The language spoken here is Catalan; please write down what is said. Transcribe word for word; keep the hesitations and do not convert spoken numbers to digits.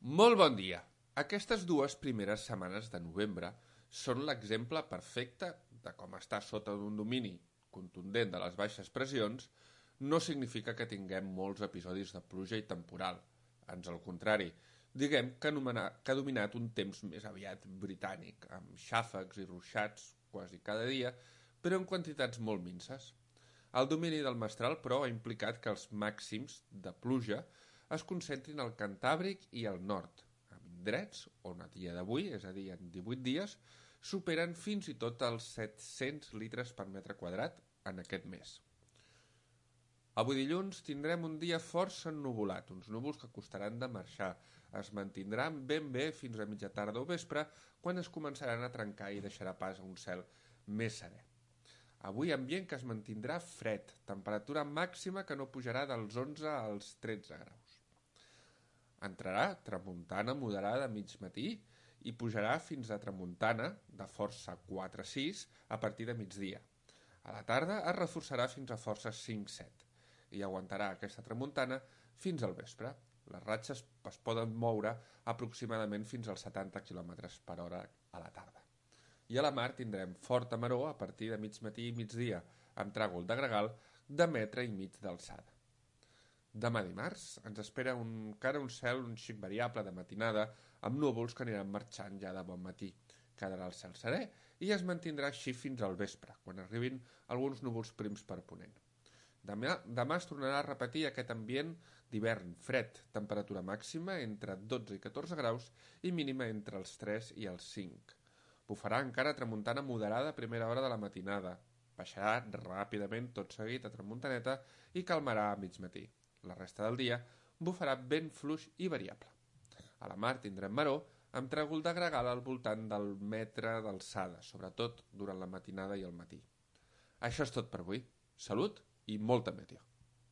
Molt bon dia! Aquestes dues primeres setmanes de novembre són l'exemple perfecte de com estar sota d'un domini contundent de les baixes pressions no significa que tinguem molts episodis de pluja i temporal. Ans al contrari, diguem que, que ha dominat un temps més aviat britànic, amb xàfecs i ruixats quasi cada dia, però en quantitats molt minces. El domini del mestral, però, ha implicat que els màxims de pluja es concentrin al Cantàbric i al nord, amb indrets on a dia d'avui, és a dir, en divuit dies, superen fins i tot els set-cents litres per metre quadrat en aquest mes. Avui dilluns tindrem un dia força ennuvolat, uns núvols que costaran de marxar. Es mantindran ben bé fins a mitja tarda o vespre, quan es començaran a trencar i deixarà pas a un cel més serè. Avui ambient que es mantindrà fred, temperatura màxima que no pujarà dels onze als tretze graus. Entrarà tramuntana moderada a mig matí i pujarà fins a tramuntana de força quatre a sis a partir de migdia. A la tarda es reforçarà fins a força cinc a set i aguantarà aquesta tramuntana fins al vespre. Les ratxes es poden moure aproximadament fins als setanta quilòmetres per hora a la tarda. I a la mar tindrem forta maror a partir de mig matí i migdia, amb tràgol de gregal de metre i mig d'alçada. Demà dimarts ens espera un, encara un cel un xic variable de matinada amb núvols que aniran marxant ja de bon matí. Quedarà el cel serè i es mantindrà així fins al vespre, quan arribin alguns núvols prims per ponent. Demà, demà es tornarà a repetir aquest ambient d'hivern fred, temperatura màxima entre dotze i catorze graus i mínima entre els tres i els cinc. Bufarà encara tramuntana moderada a primera hora de la matinada. Baixarà ràpidament tot seguit a tramuntaneta i calmarà a mig matí. La resta del dia bufarà vent fluix i variable. A la mar tindrem maror amb tràgol de gregal al voltant del metre d'alçada, sobretot durant la matinada i el matí. Això és tot per avui. Salut i molta meteo.